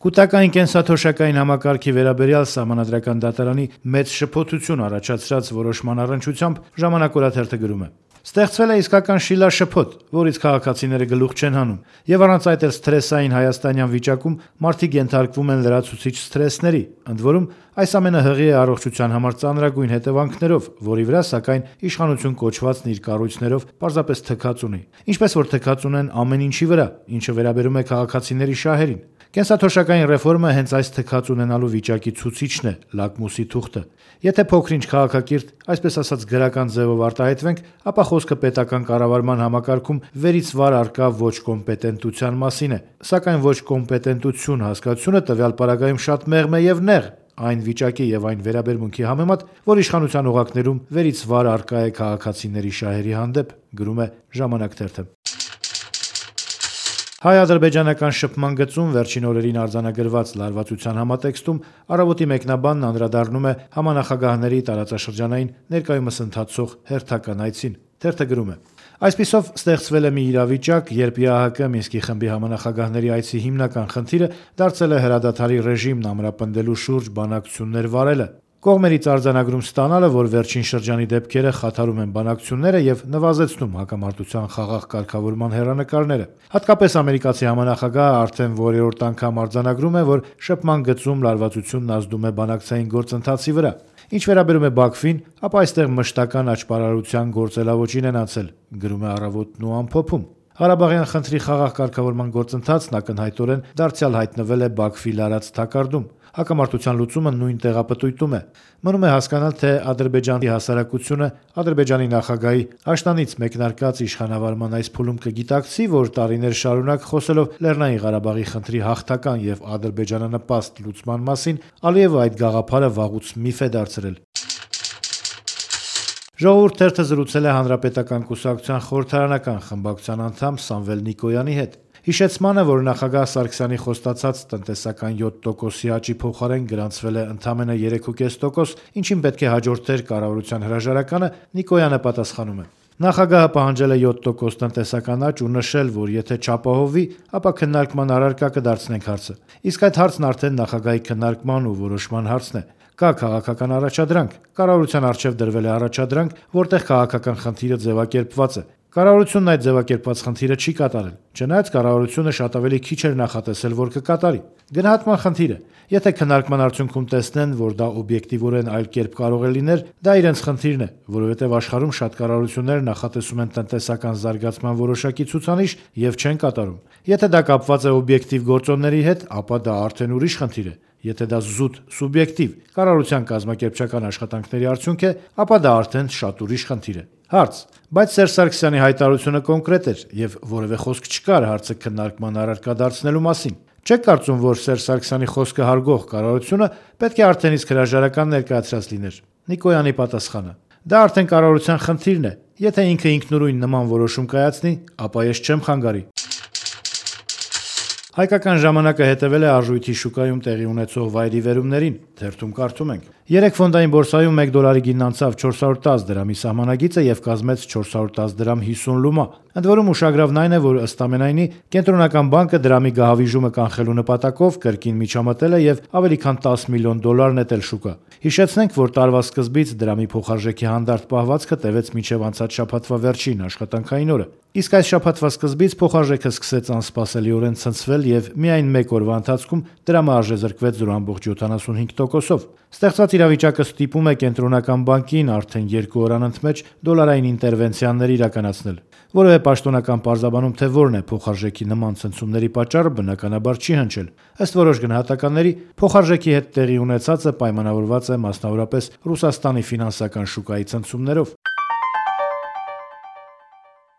Կուտակային կենսաթոշակային համակարգի վերաբերյալ Սահմանադրական դատարանի մեծ շփոթություն առաջացրած որոշման առնչությամբ «Ժամանակ» օրաթերթը գրում է. «Ստեղծվել է իսկական շիլաշփոթ, որից քաղաքացիները գլուխ չեն հանում, եւ առանց այդ էլ սթրեսային հայաստանյան վիճակում մարդիկ ենթարկվում են լրացուցիչ սթրեսների, ընդ որում այս ամենը հղի է առողջության համար ծանրագույն հետևանքներով, որի վրա, սակայն, իշխանություն կոչվածն իր կառույցներով պարզապես թքած ունի, ինչպես որ թքած ունեն ամեն ինչի վրա, ինչը վերաբերում է քաղաքացիների շահերին։ Կենսաթոշակային ռեֆորմը հենց այս թքած ունենալու վիճակի ցուցիչն է, լակմուսի թուղթը։ Եթե փոքր-ինչ քաղաքակիրթ, այսպես ասած գրական ձևով արտահայտվենք, ապա խոսքը պետական կառավարման համակարգում վերից վար առկա ոչ կոմպետենտության մասին է, սակայն ոչ կոմպետենտություն հասկացությունը տվյալ պարագայում շատ մեղմ է եւ նեղ այն վիճակի եւ այն վերաբերմունքի համեմատ, որ իշխանության օղակներում վերից վար առկա է քաղաքացիների շահերի հանդեպ», գրում է «Ժամանակ» թերթը։ Հայ-ադրբեջանական շփման գծում վերջին օրերին արձանագրված լարվածության համատեքստում «Առավոտ»-ի մեկնաբանն անդրադառնում է համանախագահների տարածաշրջանային ներկայումս ընթացող հերթական այցին։ Թերթը գրում է. «Այսպիսով ստեղծվել է մի իրավիճակ, երբ ԵԱՀԿ Մինսկի խմբի համանախագահների այցի հիմնական խնդիրը դարձել է հրադադարի ռեժիմն ամրապնդելու շուրջ բանակցություններ վարելը։ Կողմերից արձանագրում ստանալը, որ վերջին շրջանի դեպքերը խաթարում են բանակցությունները եւ նվազեցնում հակամարտության խաղաղ կարգավորման հեռանկարները։ Հատկապես ամերիկացի համանախագահը արդեն որերորդ անգամ արձանագրում է, որ շփման գծում լարվածությունն ազդում է բանակցային գործընթացի վրա։ Ինչ վերաբերում է Բաքվին, ապա այստեղ մշտական աճպարարության գործելավոճին են անցել», գրում է «Առավոտն» ու ամփոփում։ Ղարաբաղյան խնդրի խաղաղ կարգավորման գործընթացն ակնհայտորեն դարձյալ հայտնվել է Բաքվի լարած թակարդում։ Հակամարտության լուծումը նույն տեղապտույտում է։ Մնում է հասկանալ, թե Ադրբեջանի հասարակությունը Ադրբեջանի նախագահի աշնանից մեկնարկած իշխանավարման այս փուլում կգիտակցի, որ տարիներ շարունակ խոսելով Լեռնային Ղարաբաղի խնդրի հաղթական եւ ադրբեջանանպաստ լուծման մասին, Ալիևը այդ գաղափարը վաղուց միֆ է դարձրել։ Ժողովուրդ թերթը զրուցել է Հանրապետական կուսակցության խորհրդարանական խմբակցության անդամ Սամվել Նիկոյանի հետ։ Հիշեցմանը, որ նախագահ Սարգսյանի խոստացած տնտեսական 7%-ի աճի փոխարեն գրանցվել է ընդամենը 3.5%, ինչին պետք է հաջորդեր կառավարության հրաժարականը, Նիկոյանը պատասխանում է. «Նախագահը պահանջել է 7% տնտեսական աճ ու նշել, որ եթե չապահովվի, ապա քննարկման առարկա կդարձնենք հարցը։ Իսկ այդ հարցն արդեն նախագահի քննարկման ու որոշման հարցն է։ Կա քաղաքական առաջադրանք։ Կառավարության առջև դրվել է առաջադրանք, որտեղ քաղաքական խնդիրը ձևակերպված է։ Կառավարությունն այդ ձևակերպված խնդիրը չի կատարել։ Չնայած կառավարությունը շատ ավելի քիչ էր նախատեսել, որ կկատարի։ Գնահատման խնդիր է։ Եթե քննարկման արդյունքում տեսնեն, որ դա օբյեկտիվորեն այլ կերպ կարող է լինել, դա իրենց խնդիրն է, որովհետև աշխարհում շատ կառավարություններ նախատեսում են տնտեսական զարգացման որոշակի ցուցանիշ եւ չեն կատարում։ Եթե դա կապված է օբյեկտիվ գործոնների հետ, ապա դա արդեն ուրիշ խնդիր է։ Եթե դա զուտ սուբյեկտիվ կառավարության կազմակերպչական աշխատանքների արդյունք է, ապա դա արդեն շատ ուրիշ խնդիր է»։ Հարց. բայց Սերժ Սարգսյանի հայտարարությունը կոնկրետ էր եւ որևէ խոսք չկար հարցը քննարկման առարկա դարձնելու մասին։ Չեք կարծում, որ Սերժ Սարգսյանի խոսքը հարգող կառավարությունը պետք է արդեն իսկ հրաժարական ներկայացրած լիներ։ Նիկոյանի պատասխանը. դա արդեն կառավարության խնդիրն է։ Եթե ինքը ինքնուրույն նման որոշում կայացնի, ապա ես չեմ խանգարի։ Հայկական ժամանակը հետևել է արժույթի շուկայում տեղի ունեցող վայրիվերումներին։ Թերթում կարդում ենք. Երեկ ֆոնդային բորսայում 1 դոլարի գինն անցավ 410 դրամի սահմանագիծը եւ կազմեց 410 դրամ 50 լումա։ Ընդ որում ուշագրավն այն է, որ ըստ ամենայնի Կենտրոնական բանկը դրամի գահավիժումը կանխելու նպատակով կրկին միջամտել է եւ ավելի քան 10 միլիոն դոլար նետել շուկա։ Հիշեցնենք, որ տարվա սկզբից դրամի փոխարժեքի հանդարտ պահվածքը տևեց մինչև անցած շաբաթվա վերջին աշխատանքային օրը։ Իսկ այս շաբաթվա սկզբից փոխարժեքը սկսեց անսպասելիորեն ցնցվել եւ միայն մեկ օրվա ընթացքում դրամը արժեզրկվեց 0.75%-ով։ Ստեղծված իրավիճակը ստիպում է Կենտրոնական բանկին արդեն 2 օր անընդմեջ դոլարային ինտերվենցիաներ իրականացնել։ Որևէ պաշտոնական պարզաբանում, թե որն է փոխարժեքի նման ցնցումների պատճառը, բնականաբար չի հնչել։ Ըստ որոշ գնահատականների, փոխարժեքի հետ տեղի ունեցածը պայմանավորված է մասնավորապես Ռուսաստանի ֆինանսական շուկայի ցնցումներով։